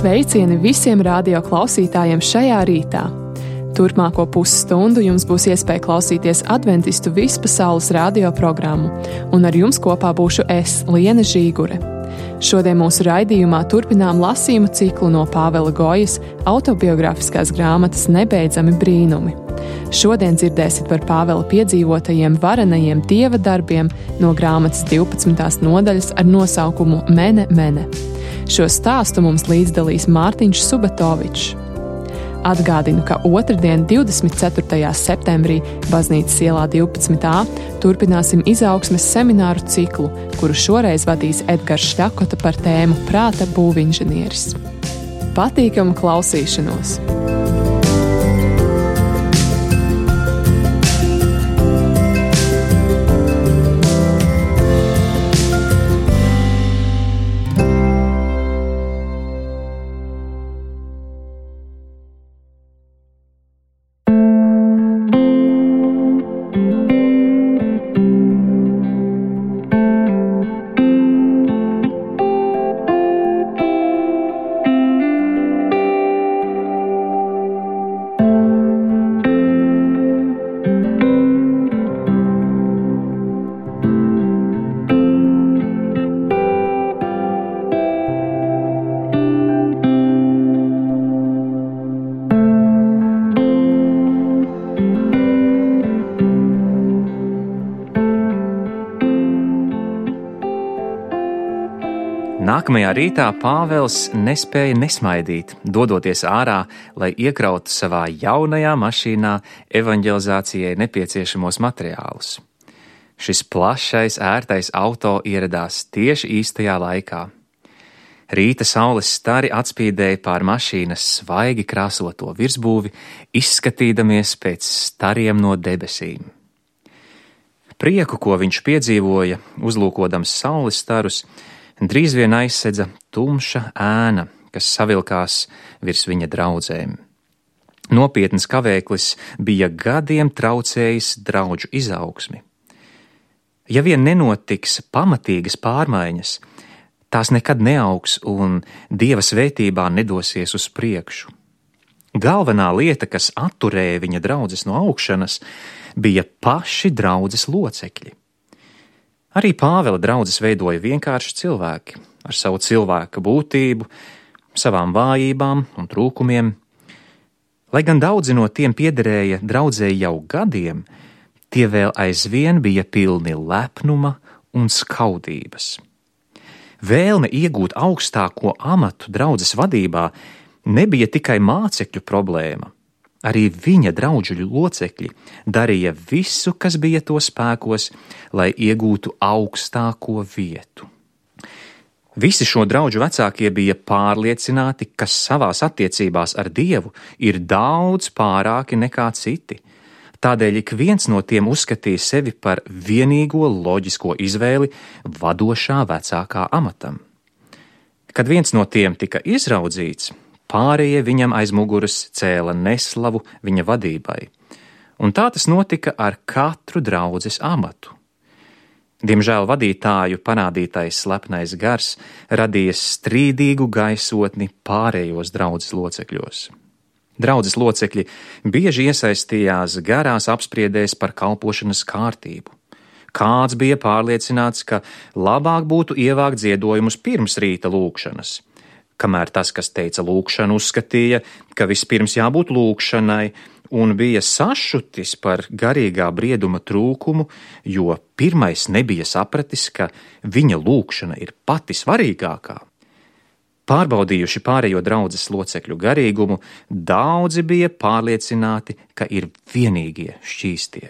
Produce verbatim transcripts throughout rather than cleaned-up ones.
Sveicieni visiem radio klausītājiem šajā rītā! Turpmāko pusstundu jums būs iespēja klausīties adventistu vispasaules radio programmu, un ar jums kopā būšu es, Liene Žīgure. Šodien mūsu raidījumā turpinām lasījumu ciklu no Pāvela Gojas autobiogrāfiskās grāmatas Nebeidzami brīnumi. Šodien dzirdēsit par Pāvela piedzīvotajiem varenajiem dieva darbiem no grāmatas divpadsmitās nodaļas ar nosaukumu Mene, mene. Šo stāstu mums līdzdalīs Mārtiņš Subatovičs. Atgādinu, ka otrdien, divdesmit ceturtajā septembrī, Baznīcas ielā divpadsmit A, turpināsim izaugsmes semināru ciklu, kuru šoreiz vadīs Edgars Šļakota par tēmu Prāta būvinženieris. Patīkamu klausīšanos! Nākamajā rītā Pāvels nespēja nesmaidīt, dodoties ārā, lai iekrautu savā jaunajā mašīnā evanģelizācijai nepieciešamos materiālus. Šis plašais, ērtais auto ieradās tieši īstajā laikā. Rīta saules stari atspīdēja pār mašīnas svaigi krāsoto virsbūvi, izskatīdamies pēc stariem no debesīm. Prieku, ko viņš piedzīvoja, uzlūkodams saules starus, drīz vien aizsedza tumša ēna, kas savilkās virs viņa draudzēm. Nopietns kavēklis bija gadiem traucējis draudžu izaugsmi. Ja vien nenotiks pamatīgas pārmaiņas, tās nekad neaugs un Dieva svētībā nedosies uz priekšu. Galvenā lieta, kas atturēja viņa draudzes no augšanas, bija paši draudzes locekļi. Arī Pāvela draudzes veidoja vienkārši cilvēki ar savu cilvēka būtību, savām vājībām un trūkumiem. Lai gan daudzi no tiem piederēja draudzei jau gadiem, tie vēl aizvien bija pilni lepnuma un skaudības. Vēlme iegūt augstāko amatu draudzes vadībā nebija tikai mācekļu problēma. Arī viņa draudžu locekļi darīja visu, kas bija to spēkos, lai iegūtu augstāko vietu. Visi šo draudžu vecākie bija pārliecināti, ka savās attiecībās ar Dievu ir daudz pārāki nekā citi. Tādēļ ik viens no tiem uzskatīja sevi par vienīgo loģisko izvēli vadošā vecākā amatam. Kad viens no tiem tika izraudzīts, pārējie viņam aiz muguras cēla neslavu viņa vadībai, un tā tas notika ar katru draudzes amatu. Diemžēl vadītāju parādītais slepnais gars radīja strīdīgu gaisotni pārējos draudzes locekļos. Draudzes locekļi bieži iesaistījās garās apspriedēs par kalpošanas kārtību. Kāds bija pārliecināts, ka labāk būtu ievākt ziedojumus pirms rīta lūgšanas, kamēr tas, kas teica lūgšanu, uzskatīja, ka vispirms jābūt lūgšanai, un bija sašutis par garīgā brieduma trūkumu, jo pirmais nebija sapratis, ka viņa lūgšana ir pati svarīgākā. Pārbaudījuši pārējo draudzes locekļu garīgumu, daudzi bija pārliecināti, ka ir vienīgie šķīstie.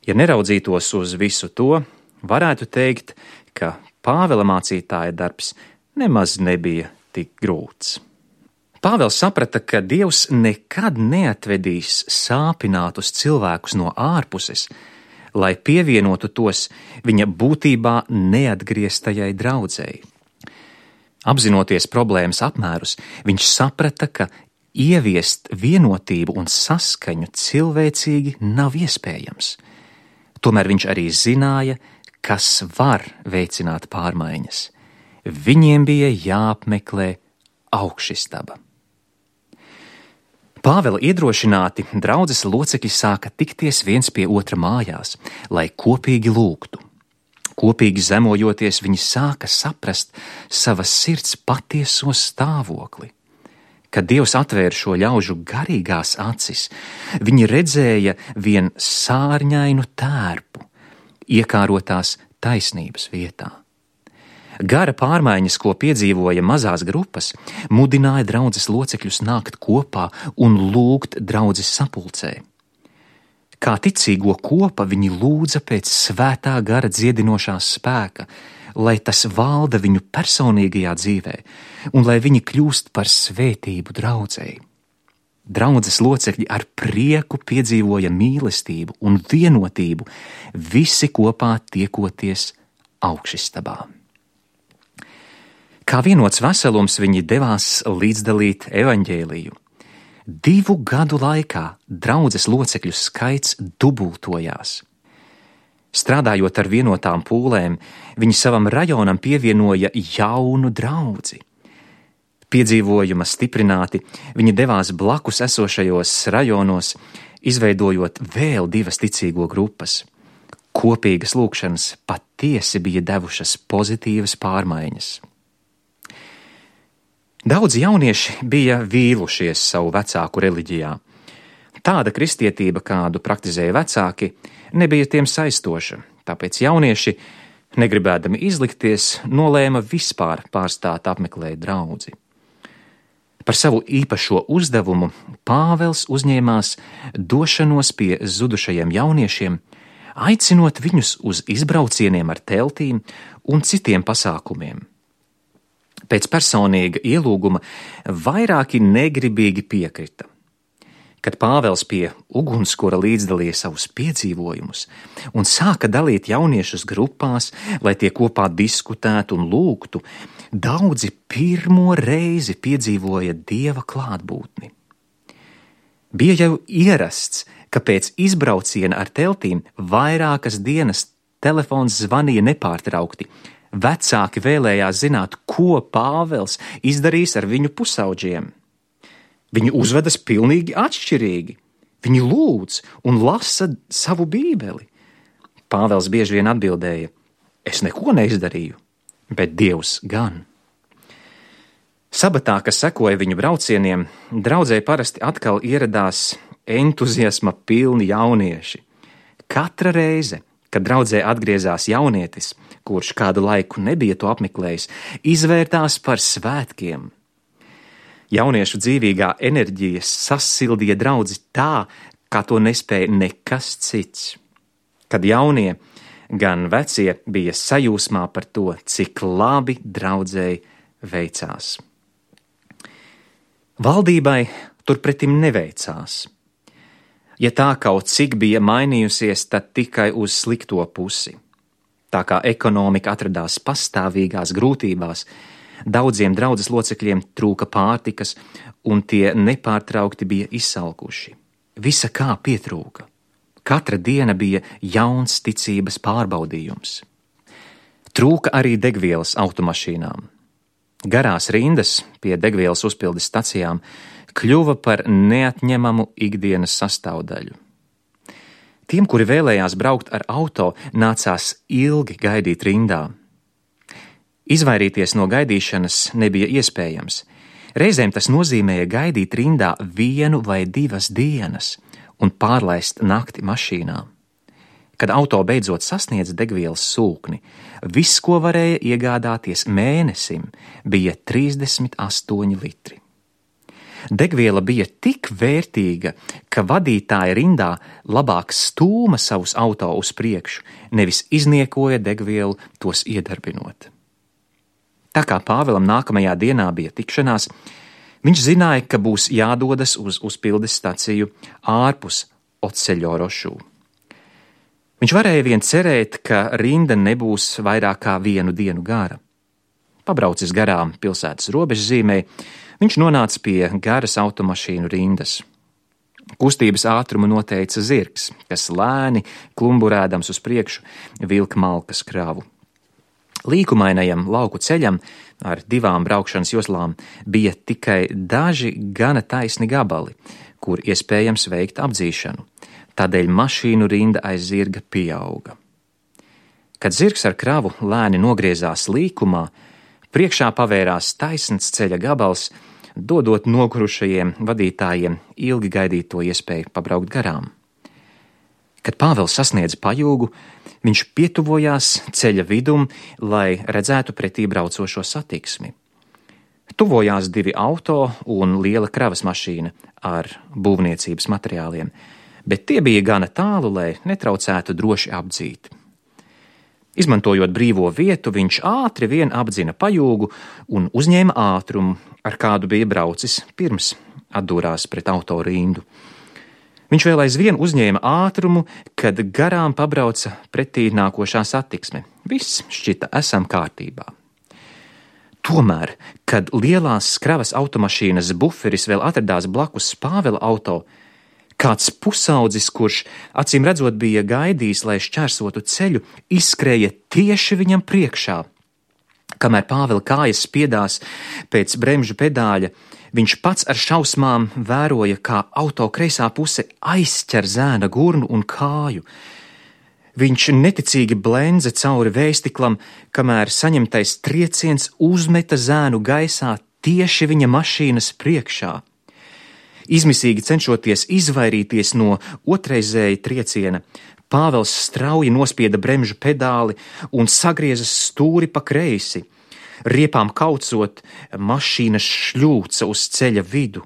Ja neraudzītos uz visu to, varētu teikt, ka Pāvela mācītāja darbs nemaz nebija tik grūts. Pāvels saprata, ka Dievs nekad neatvedīs sāpinātus cilvēkus no ārpuses, lai pievienotu tos viņa būtībā neatgrieztajai draudzei. Apzinoties problēmas apmērus, viņš saprata, ka ieviest vienotību un saskaņu cilvēcīgi nav iespējams. Tomēr viņš arī zināja, kas var veicināt pārmaiņas. Viņiem bija jāapmeklē augšistaba. Pāvela iedrošināti draudzes locekļi sāka tikties viens pie otra mājās, lai kopīgi lūgtu. Kopīgi zemojoties, viņi sāka saprast savas sirds patieso stāvokli. Kad Dievs atvēra šo ļaužu garīgās acis, viņi redzēja vien sārņainu tērpu, iekārotās taisnības vietā. Gara pārmaiņas, ko piedzīvoja mazās grupas, mudināja draudzes locekļus nākt kopā un lūgt draudzes sapulcē. Kā ticīgo kopa viņi lūdza pēc svētā gara dziedinošās spēka, lai tas valda viņu personīgajā dzīvē un lai viņi kļūst par svētību draudzei. Draudzes locekļi ar prieku piedzīvoja mīlestību un vienotību, visi kopā tiekoties augšistabā. Kā vienots veselums viņi devās līdzdalīt evaņģēliju. Divu gadu laikā draudzes locekļu skaits dubultojās. Strādājot ar vienotām pūlēm, viņi savam rajonam pievienoja jaunu draudzi. Piedzīvojuma stiprināti, viņi devās blakus esošajos rajonos, izveidojot vēl divas ticīgo grupas. Kopīgas lūkšanas patiesi bija devušas pozitīvas pārmaiņas. Daudzi jaunieši bija vīlušies savu vecāku reliģijā. Tāda kristietība, kādu praktizēja vecāki, nebija tiem saistoša, tāpēc jaunieši, negribēdami izlikties, nolēma vispār pārstāt apmeklēt draudzi. Par savu īpašo uzdevumu Pāvels uzņēmās došanos pie zudušajiem jauniešiem, aicinot viņus uz izbraucieniem ar teltīm un citiem pasākumiem. Pēc personīga ielūguma vairāki negribīgi piekrita. Kad Pāvels pie ugunskura līdzdalīja savus piedzīvojumus un sāka dalīt jauniešus grupās, lai tie kopā diskutētu un lūgtu, daudzi pirmo reizi piedzīvoja Dieva klātbūtni. Bija jau ierasts, ka pēc izbrauciena ar teltīm vairākas dienas telefons zvanīja nepārtraukti. Vecāki vēlējās zināt, ko Pāvels izdarīs ar viņu pusauģiem. Viņi uzvedas pilnīgi atšķirīgi. Viņi lūdz un lasa savu bībeli. Pāvels bieži vien atbildēja: es neko neizdarīju, bet Dievs gan. Sabatā, kas sekoja viņu braucieniem, draudzē parasti atkal ieradās entuziasma pilni jaunieši. Katra reize, kad draudzē atgriezās jaunietis, kurš kādu laiku nebija to apmeklējis, izvērtās par svētkiem. Jauniešu dzīvīgā enerģija sasildīja draudzi tā, kā to nespēja nekas cits. Kad jaunie, gan vecie bija sajūsmā par to, cik labi draudzēji veicās. Valdībai turpretim neveicās. Ja tā kaut cik bija mainījusies, tad tikai uz slikto pusi. Tā kā ekonomika atradās pastāvīgās grūtībās, daudziem draudzes locekļiem trūka pārtikas, un tie nepārtraukti bija izsalkuši. Visa kā pietrūka. Katra diena bija jauns ticības pārbaudījums. Trūka arī degvielas automašīnām. Garās rindas pie degvielas uzpildes stacijām kļuva par neatņemamu ikdienas sastāvdaļu. Tiem, kuri vēlējās braukt ar auto, nācās ilgi gaidīt rindā. Izvairīties no gaidīšanas nebija iespējams. Reizēm tas nozīmēja gaidīt rindā vienu vai divas dienas un pārlaist nakti mašīnā. Kad auto beidzot sasniedza degvielas sūkni, viss, ko varēja iegādāties mēnesim, bija trīsdesmit astoņi litri. Degviela bija tik vērtīga, ka vadītāji rindā labāk stūma savus auto uz priekšu, nevis izniekoja degvielu tos iedarbinot. Tā kā Pāvelam nākamajā dienā bija tikšanās, viņš zināja, ka būs jādodas uz uzpildes staciju ārpus Oceļorošū. Viņš varēja vien cerēt, ka rinda nebūs vairāk kā vienu dienu gara. Pabraucis garām pilsētas robežzīmei, viņš nonāca pie garas automašīnu rindas. Kustības ātrumu noteica zirgs, kas lēni, klumburēdams uz priekšu, vilka malkas kravu. Līkumainajam lauku ceļam ar divām braukšanas joslām bija tikai daži gana taisni gabali, kur iespējams veikt apdzīšanu. Tādēļ mašīnu rinda aiz zirga pieauga. Kad zirgs ar kravu lēni nogriezās līkumā, priekšā pavērās taisns ceļa gabals, dodot nogurušajiem vadītājiem ilgi gaidīto iespēju pabraukt garām. Kad Pāvils sasniedza pajūgu, viņš pietuvojās ceļa vidum, lai redzētu pretī braucošo satiksmi. Tuvojās divi auto un liela kravas mašīna ar būvniecības materiāliem, bet tie bija gana tālu, lai netraucētu droši apdzīt. Izmantojot brīvo vietu, viņš ātri vien apdzina pajūgu un uzņēma ātrumu, ar kādu bija braucis pirms atdūrās pret auto rindu. Viņš vēl aizvien uzņēma ātrumu, kad garām pabrauca pretī nākošā satiksme. Viss šķita esam kārtībā. Tomēr, kad lielās kravas automašīnas buferis vēl atradās blakus Pāvela auto, kāds pusaudzis, kurš acīm redzot bija gaidījis, lai šķērsotu ceļu, izskrēja tieši viņam priekšā. Kamēr Pāvela kājas spiedās pēc bremžu pedāļa, viņš pats ar šausmām vēroja, kā auto kreisā puse aizķer zēna gurnu un kāju. Viņš neticīgi blendza cauri vējstiklam, kamēr saņemtais trieciens uzmeta zēnu gaisā tieši viņa mašīnas priekšā. Izmisīgi cenšoties izvairīties no otrreizēja trieciena, Pāvels strauji nospieda bremžu pedāli un sagrieza stūri pa kreisi. Riepām kaucot, mašīna šļūca uz ceļa vidu.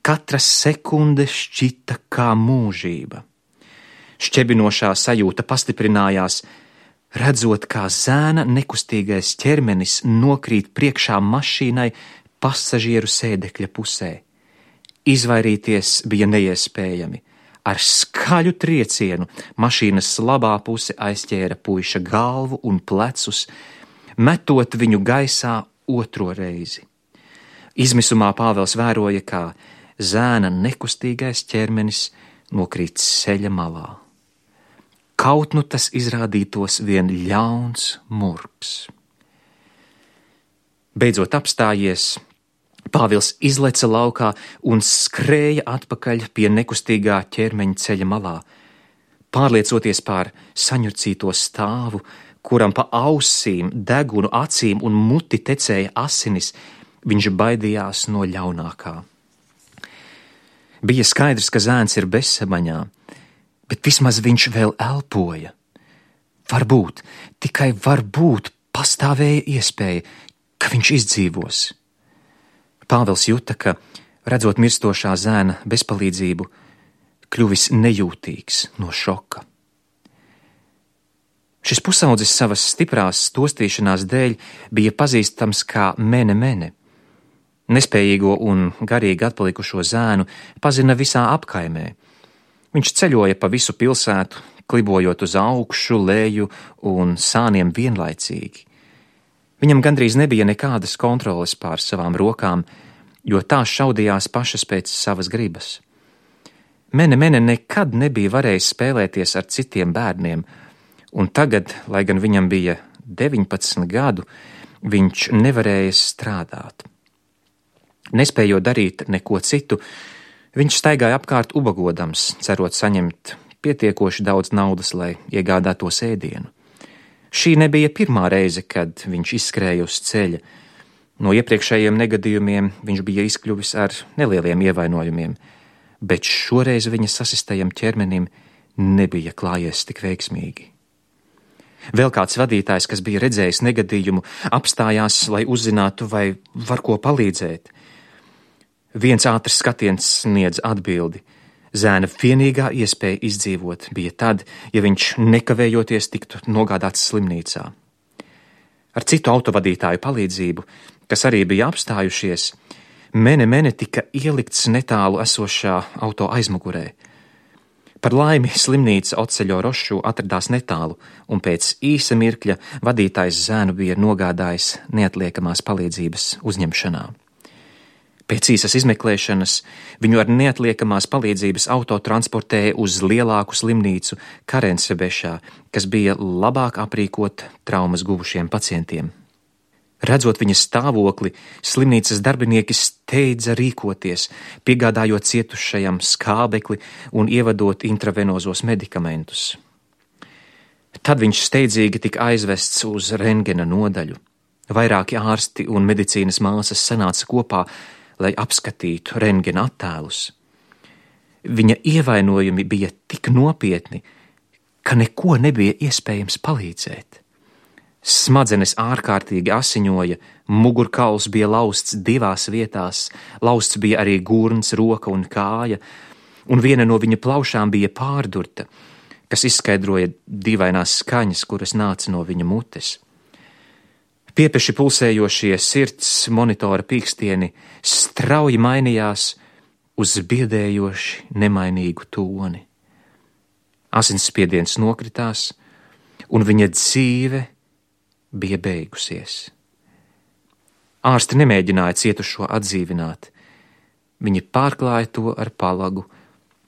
Katra sekunde šķita kā mūžība. Šķebinošā sajūta pastiprinājās, redzot, kā zēna nekustīgais ķermenis nokrīt priekšā mašīnai pasažieru sēdekļa pusē. Izvairīties bija neiespējami. Ar skaļu triecienu mašīnas labā puse aizķēra puiša galvu un plecus, metot viņu gaisā otro reizi. Izmisumā Pāvels vēroja, kā zēna nekustīgais ķermenis nokrīt ceļa malā. Kaut nu tas izrādītos vien ļauns murgs. Beidzot apstājies, Pāvils izleca laukā un skrēja atpakaļ pie nekustīgā ķermeņa ceļa malā. Pārliecoties pār saņurcīto stāvu, kuram pa ausīm, degunu acīm un muti tecēja asinis, viņš baidījās no ļaunākā. Bija skaidrs, ka zēns ir bezsamaņā, bet vismaz viņš vēl elpoja. Varbūt, tikai varbūt pastāvēja iespēja, ka viņš izdzīvos. Pāvils juta, ka, redzot mirstošā zēna bezpalīdzību, kļuvis nejūtīgs no šoka. Šis pusaudzis savas stiprās stostīšanās dēļ bija pazīstams kā mene mene. Nespējīgo un garīgi atpalikušo zēnu pazina visā apkaimē. Viņš ceļoja pa visu pilsētu, klibojot uz augšu, leju un sāniem vienlaicīgi. Viņam gandrīz nebija nekādas kontroles pār savām rokām, jo tās šaudījās pašas pēc savas gribas. Mene mene nekad nebija varējis spēlēties ar citiem bērniem, un tagad, lai gan viņam bija deviņpadsmit gadu, viņš nevarēja strādāt. Nespējot darīt neko citu, viņš staigāja apkārt ubagodams, cerot saņemt pietiekoši daudz naudas, lai iegādātos ēdienu. Šī nebija pirmā reize, kad viņš izskrēja uz ceļa. No iepriekšējiem negadījumiem viņš bija izkļuvis ar nelieliem ievainojumiem, bet šoreiz viņa sasistajam ķermenim nebija klājies tik veiksmīgi. Vēl kāds vadītājs, kas bija redzējis negadījumu, apstājās, lai uzzinātu, vai var ko palīdzēt. Viens ātrs skatiens sniedz atbildi. Zēna vienīgā iespēja izdzīvot bija tad, ja viņš nekavējoties tiktu nogādāts slimnīcā. Ar citu autovadītāju palīdzību, kas arī bija apstājušies, mene mene tika ielikts netālu esošā auto aizmugurē. Par laimi slimnīca Oceļo Rošu atradās netālu, un pēc īsa mirkļa vadītājs zēnu bija nogādājis neatliekamās palīdzības uzņemšanā. Pēc īsas izmeklēšanas viņu ar neatliekamās palīdzības auto transportēja uz lielāku slimnīcu Karensebešā, kas bija labāk aprīkota traumas guvušiem pacientiem. Redzot viņa stāvokli, slimnīcas darbinieki steidza rīkoties, piegādājot cietušajam skābekli un ievadot intravenozos medikamentus. Tad viņš steidzīgi tika aizvests uz rentgena nodaļu. Vairāki ārsti un medicīnas māsas sanāca kopā, lai apskatītu rentgena attēlus. Viņa ievainojumi bija tik nopietni, ka neko nebija iespējams palīdzēt. Smadzenes ārkārtīgi asiņoja, mugurkauls bija lausts divās vietās, lausts bija arī gurns, roka un kāja, un viena no viņa plaušām bija pārdurta, kas izskaidroja dīvainās skaņas, kuras nāca no viņa mutes. Piepeši pulsējošie sirds monitora pīkstieni strauji mainījās uz biedējoši nemainīgu toni. Asinsspiediens nokritās, un viņa dzīve bija beigusies. Ārsti nemēģināja cietušo atdzīvināt. Viņi pārklāja to ar palagu,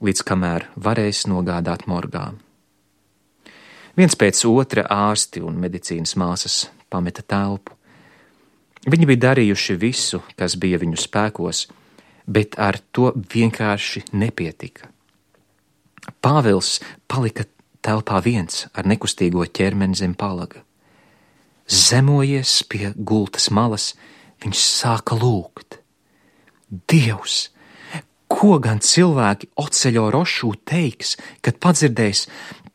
līdz kamēr varēs nogādāt morgā. Viens pēc otra ārsti un medicīnas māsas pameta telpu. Viņi bija darījuši visu, kas bija viņu spēkos, bet ar to vienkārši nepietika. Pāvils palika telpā viens ar nekustīgo ķermeni zem palaga. Zemojies pie gultas malas, viņš sāka lūgt. Dievs, ko gan cilvēki Oceļo Rošū teiks, kad padzirdēs,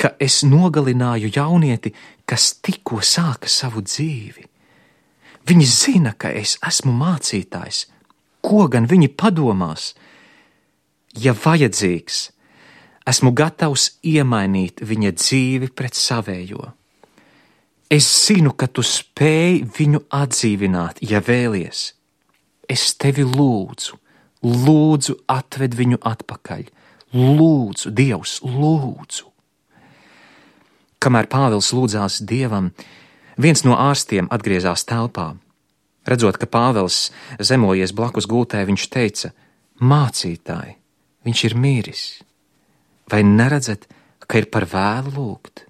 ka es nogalināju jaunieti, kas tikko sāka savu dzīvi? Viņi zina, ka es esmu mācītājs. Ko gan viņi padomās? Ja vajadzīgs, esmu gatavs iemainīt viņa dzīvi pret savējo. Es zinu, ka tu spēj viņu atdzīvināt, ja vēlies. Es tevi lūdzu, lūdzu atved viņu atpakaļ. Lūdzu, Dievs, lūdzu. Kamēr Pāvils lūdzās Dievam, viens no ārstiem atgriezās telpā. Redzot, ka Pāvils zemojies blakus gultē, viņš teica: Mācītāji, viņš ir miris. Vai neredzat, ka ir par vēlu lūgt?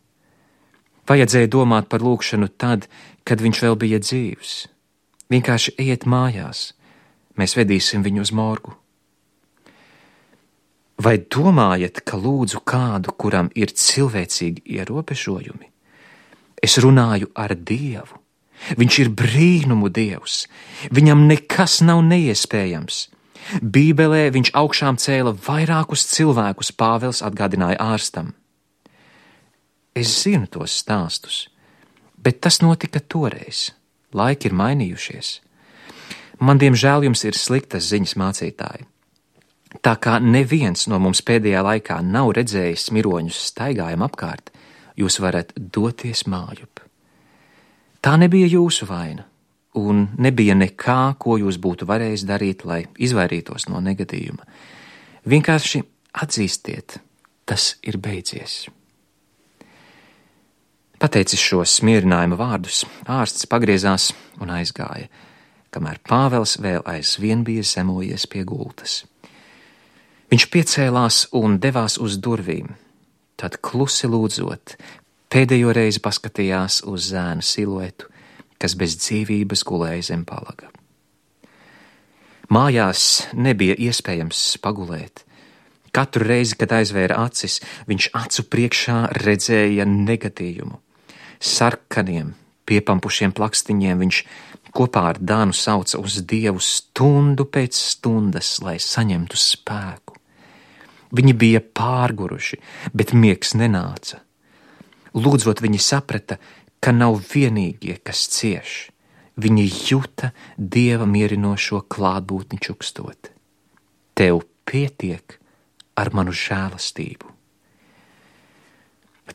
Vajadzēja domāt par lūgšanu tad, kad viņš vēl bija dzīvs. Vienkārši ejiet mājās, mēs vedīsim viņu uz morgu. Vai domājat, ka lūdzu kādu, kuram ir cilvēcīgi ierobežojumi? Es runāju ar Dievu. Viņš ir brīnumu Dievs. Viņam nekas nav neiespējams. Bībelē viņš augšām cēla vairākus cilvēkus, Pāvils atgādināja ārstam. Es zinu tos stāstus, bet tas notika toreiz. Laiki ir mainījušies. Man, diemžēl, jums ir sliktas ziņas, mācītāji. Tā kā neviens no mums pēdējā laikā nav redzējis miroņus staigājam apkārt, jūs varat doties mājup. Tā nebija jūsu vaina, un nebija nekā, ko jūs būtu varējis darīt, lai izvairītos no negadījuma. Vienkārši atzīstiet, tas ir beidzies. Pateicis šos smierinājuma vārdus, ārsts pagriezās un aizgāja, kamēr Pāvils vēl aizvien bija zemojies pie gultas. Viņš piecēlās un devās uz durvīm, tad klusi lūdzot, pēdējo reizi paskatījās uz zēna siluetu, kas bez dzīvības gulēja zem palaga. Mājās nebija iespējams pagulēt. Katru reizi, kad aizvēra acis, viņš acu priekšā redzēja negadījumu. Sarkaniem, piepampušiem plakstiņiem viņš kopā ar Dānu sauca uz Dievu stundu pēc stundas, lai saņemtu spēku. Viņi bija pārguruši, bet miegs nenāca. Lūdzot, viņi saprata, ka nav vienīgie, kas cieš. Viņi juta Dieva mierinošo klātbūtni čukstot. Tev pietiek ar manu žēlastību.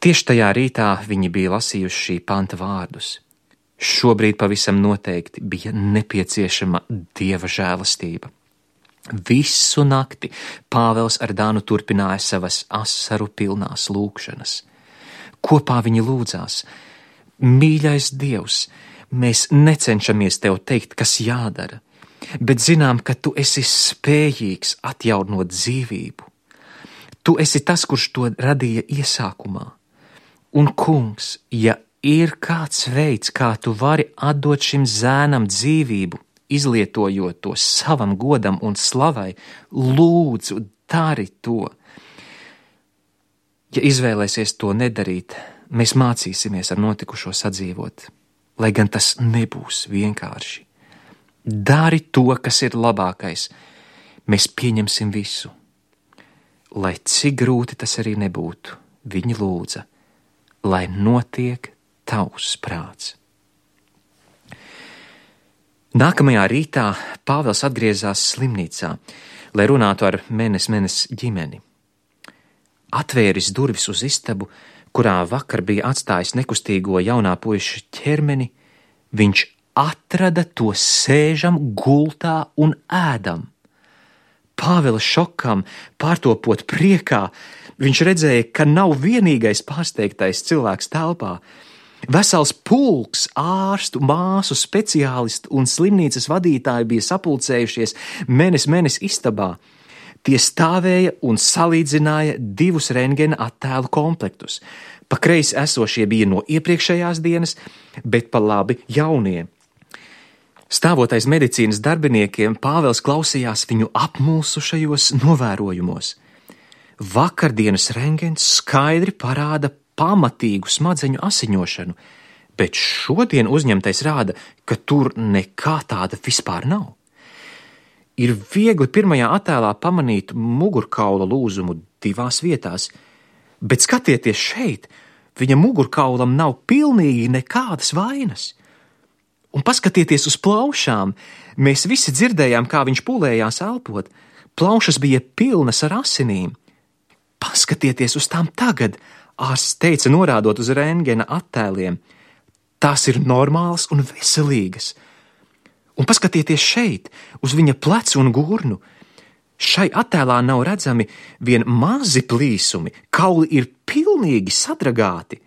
Tieši tajā rītā viņi bija lasījuši šī panta vārdus. Šobrīd pavisam noteikti bija nepieciešama Dieva žēlastība. Visu nakti Pāvils ar Dānu turpināja savas asaru pilnās lūgšanas. Kopā viņi lūdzās: Mīļais Dievs, mēs necenšamies tev teikt, kas jādara. bet zinām, ka tu esi spējīgs atjaunot dzīvību. Tu esi tas, kurš to radīja iesākumā. Un, kungs, ja ir kāds veids, kā tu vari atdot šim zēnam dzīvību, izlietojot to savam godam un slavai, lūdzu, dari to. Ja izvēlēsies to nedarīt, mēs mācīsimies ar notikušo sadzīvot, lai gan tas nebūs vienkārši. Dari to, kas ir labākais, mēs pieņemsim visu. Lai cik grūti tas arī nebūtu, viņi lūdza, lai notiek tavs prāts. Nākamajā rītā Pāvils atgriezās slimnīcā, lai runātu ar Menes Menes ģimeni. Atvēris durvis uz istabu, kurā vakar bija atstājis nekustīgo jaunā puiša ķermeni, viņš atrada to sēžam, gultā un ēdam. Pāvila šokam, pārtopot priekā, viņš redzēja, ka nav vienīgais pārsteigtais cilvēks telpā. Vesels pulks ārstu, māsu, speciālistu un slimnīcas vadītāji bija sapulcējušies Menes Menes istabā. Tie stāvēja un salīdzināja divus rentgena attēlu komplektus. Pa kreisi esošie bija no iepriekšējās dienas, bet pa labi jaunie. Stāvot aiz medicīnas darbiniekiem, Pāvils klausījās viņu apmulsušajos novērojumos. Vakardienas rentgens skaidri parāda pamatīgu smadzeņu asiņošanu, bet šodien uzņemtais rāda, ka tur nekā tāda vispār nav. Ir viegli pirmajā attēlā pamanīt mugurkaula lūzumu divās vietās, bet skatieties šeit, viņa mugurkaulam nav pilnīgi nekādas vainas. Un paskatieties uz plaušām, mēs visi dzirdējām, kā viņš pulējās elpot, plaušas bija pilnas ar asinīm. Paskatieties uz tām tagad, ārsts teica, norādot uz rentgena attēliem. Tās ir normālas un veselīgas. Un paskatieties šeit, uz viņa plecu un gurnu. Šai attēlā nav redzami vien mazi plīsumi, kauli ir pilnīgi sadragāti,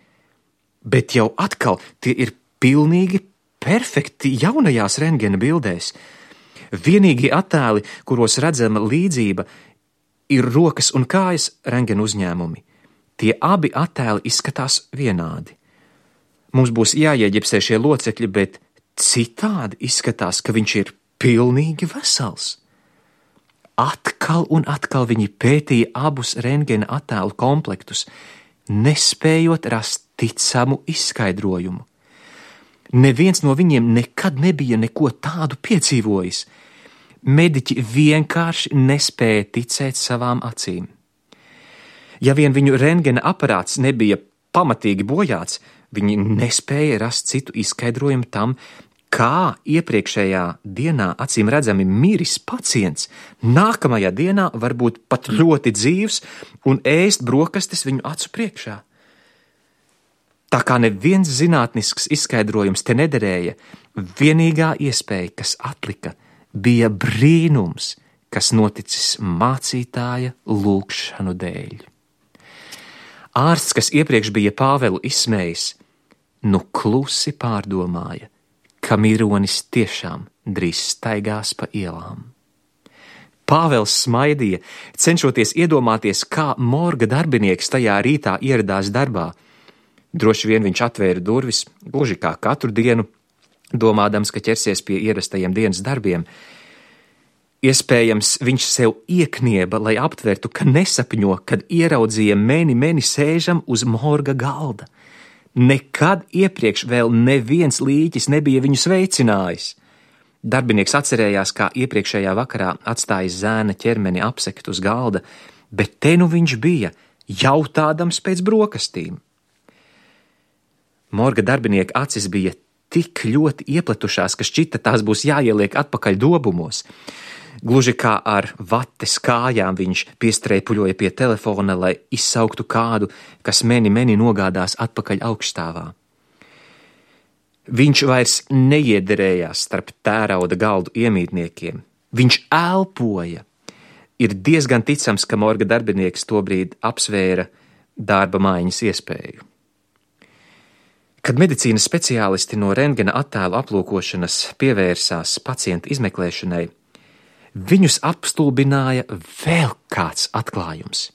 bet jau atkal tie ir pilnīgi perfekti jaunajās rentgena bildēs. Vienīgie attēli, kuros redzama līdzība, ir rokas un kājas rentgena uzņēmumi. Tie abi attēli izskatās vienādi. Mums būs jāieģipsē šie locekļi, bet citādi izskatās, ka viņš ir pilnīgi vesels. Atkal un atkal viņi pētīja abus rentgena attēlu komplektus, nespējot rast ticamu izskaidrojumu. Neviens no viņiem nekad nebija neko tādu piedzīvojis. Mediķi vienkārši nespēja ticēt savām acīm. Ja vien viņu rentgena aparāts nebija pamatīgi bojāts, viņi nespēja rast citu izskaidrojumu tam, kā iepriekšējā dienā acīm redzami miris pacients, nākamajā dienā var būt pat ļoti dzīvs un ēst brokastis viņu acu priekšā. Tā kā neviens zinātnisks izskaidrojums te nederēja, vienīgā iespēja, kas atlika, bija brīnums, kas noticis mācītāja lūgšanu dēļ. Ārsts, kas iepriekš bija Pāvelu izsmējis, nu klusi pārdomāja, ka mironis tiešām drīz staigās pa ielām. Pāvels smaidīja, cenšoties iedomāties, kā morga darbinieks tajā rītā ieradās darbā. Droši vien viņš atvēra durvis, gluži kā katru dienu, domādams, ka ķersies pie ierastajiem dienas darbiem. Iespējams, viņš sev ieknieba, lai aptvertu, ka nesapņo, kad ieraudzīja meni meni sēžam uz morga galda. Nekad iepriekš vēl neviens līķis nebija viņu sveicinājis. Darbinieks atcerējās, kā iepriekšējā vakarā atstājis zēna ķermeni apsekt uz galda, bet te nu viņš bija, jautādams pēc brokastīm. Morga darbinieka acis bija tik ļoti iepletušās, ka šķita tās būs jāieliek atpakaļ dobumos. Gluži kā ar vates kājām viņš piestrēpuļoja pie telefona, lai izsauktu kādu, kas meni meni nogādās atpakaļ augstāvā. Viņš vairs neiederējās starp tērauda galdu iemītniekiem. Viņš elpoja. Ir diezgan ticams, ka morga darbinieks tobrīd apsvēra darba maiņas iespēju. Kad medicīnas speciālisti no rentgena attēlu aplūkošanas pievērsās pacienta izmeklēšanai, viņus apstulbināja vēl kāds atklājums.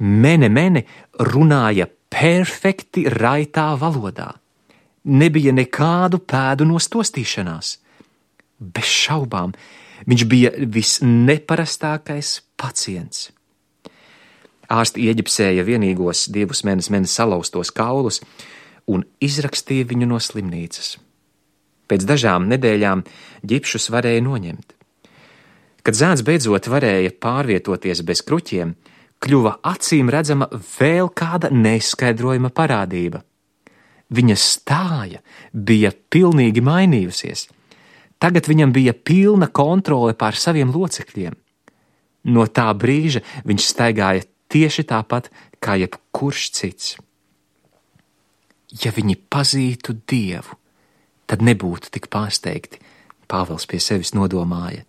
Mene Mene runāja perfekti raitā valodā. Nebija nekādu pēdu nostostīšanās. Bez šaubām, viņš bija visneparastākais pacients. Ārsti ieģipsēja vienīgos divus Menes Menes salauztos kaulus un izrakstīja viņu no slimnīcas. Pēc dažām nedēļām ģipšus varēja noņemt. Kad zēns beidzot varēja pārvietoties bez kruķiem, kļuva acīm redzama vēl kāda neskaidrojama parādība. Viņa stāja bija pilnīgi mainījusies. Tagad viņam bija pilna kontrole pār saviem locekļiem. No tā brīža viņš staigāja tieši tāpat kā jebkurš cits. Ja viņi pazītu Dievu, tad nebūtu tik pārsteigti, Pāvils pie sevis nodomāja.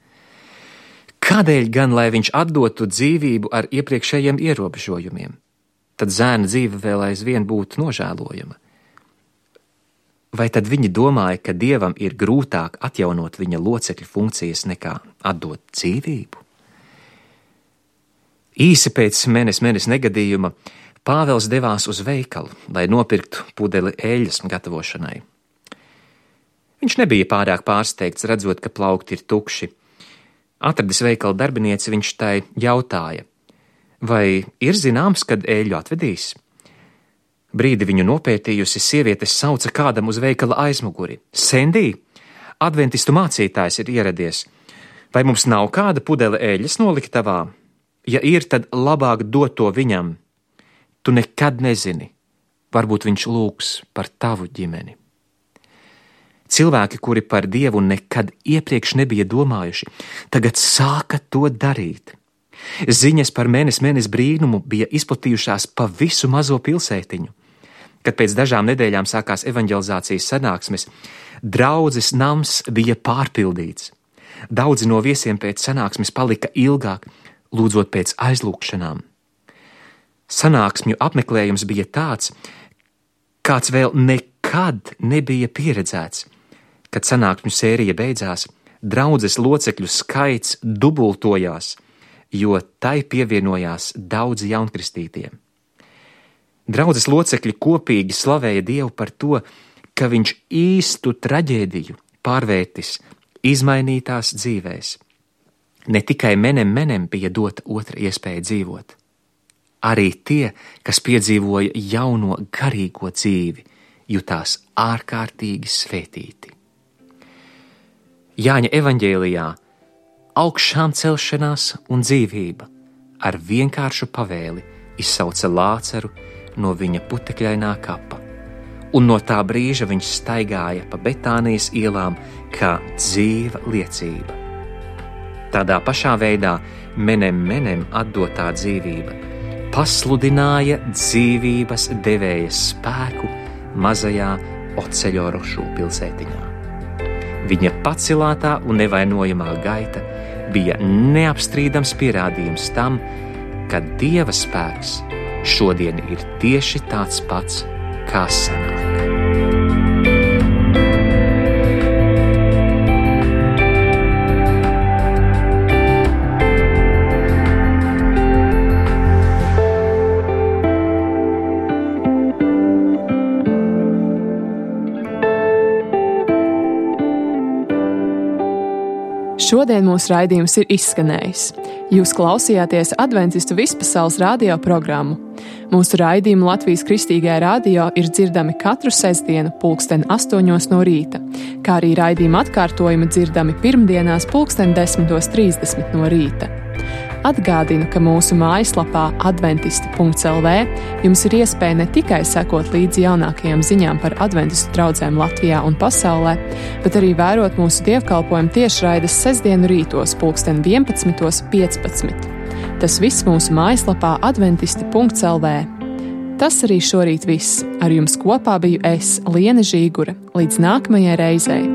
Kādēļ gan, lai viņš atdotu dzīvību ar iepriekšējiem ierobežojumiem? Tad zēna dzīve vēl aizvien būtu nožēlojama. Vai tad viņi domāja, ka Dievam ir grūtāk atjaunot viņa locekļu funkcijas nekā atdot dzīvību? Īsi pēc Menes Menes negadījuma Pāvils devās uz veikalu, lai nopirktu pudeli eļļas gatavošanai. Viņš nebija pārāk pārsteigts, redzot, ka plaukti ir tukši. Atradis veikala darbinieci, viņš tai jautāja, vai ir zināms, kad eļļu atvedīs? Brīdi viņu nopētījusi, sieviete sauca kādam uz veikala aizmuguri. Sendī, adventistu mācītājs ir ieradies. Vai mums nav kāda pudele eļļas noliktavā? Ja ir, tad labāk dot to viņam. Tu nekad nezini, varbūt viņš lūgs par tavu ģimeni. Cilvēki, kuri par Dievu nekad iepriekš nebija domājuši, tagad sāka to darīt. Ziņas par Menes Menes brīnumu bija izplatījušās pa visu mazo pilsētiņu. Kad pēc dažām nedēļām sākās evanģelizācijas sanāksmes, draudzes nams bija pārpildīts. Daudzi no viesiem pēc sanāksmes palika ilgāk, lūdzot pēc aizlūgšanām. Sanāksmju apmeklējums bija tāds, kāds vēl nekad nebija pieredzēts. Kad sanāksmju sērija beidzās, draudzes locekļu skaits dubultojās, jo tai pievienojās daudzi jaunkristītie. Draudzes locekļi kopīgi slavēja Dievu par to, ka viņš īstu traģēdiju pārvērtis izmainītās dzīvēs. Ne tikai Menem Menem bija dota otra iespēja dzīvot. Arī tie, kas piedzīvoja jauno garīgo dzīvi, jutās ārkārtīgi svētīti. Jāņa evaņģēlijā augšām celšanās un dzīvība ar vienkāršu pavēli izsauca Lāceru no viņa putekļainā kapa, un no tā brīža viņš staigāja pa Betānijas ielām kā dzīva liecība. Tādā pašā veidā Menem Menem atdotā dzīvība pasludināja dzīvības devēja spēku mazajā Oceļorošu pilsētiņā. Viņa pacilātā un nevainojamā gaita bija neapstrīdams pierādījums tam, ka Dieva spēks šodien ir tieši tāds pats, kā senāk. Šodien mūsu raidījums ir izskanējis. Jūs klausījāties Adventistu vispasaules radio programmu. Mūsu raidījumi Latvijas Kristīgajā radio ir dzirdami katru sestdienu pulksten astoņos no rīta, kā arī raidījuma atkārtojumi dzirdami pirmdienās pulksten desmitos trīsdesmit no rīta. Atgādinu, ka mūsu mājaslapā adventisti punkts el vē jums ir iespēja ne tikai sekot līdzi jaunākajām ziņām par adventistu draudzēm Latvijā un pasaulē, bet arī vērot mūsu dievkalpojumu tiešraides sestdienu rītos pulksten vienpadsmitos piecpadsmit. Tas viss mūsu mājaslapā adventisti punkts el vē. Tas arī šorīt viss. Ar jums kopā biju es, Liene Žīgure. Līdz nākamajai reizei!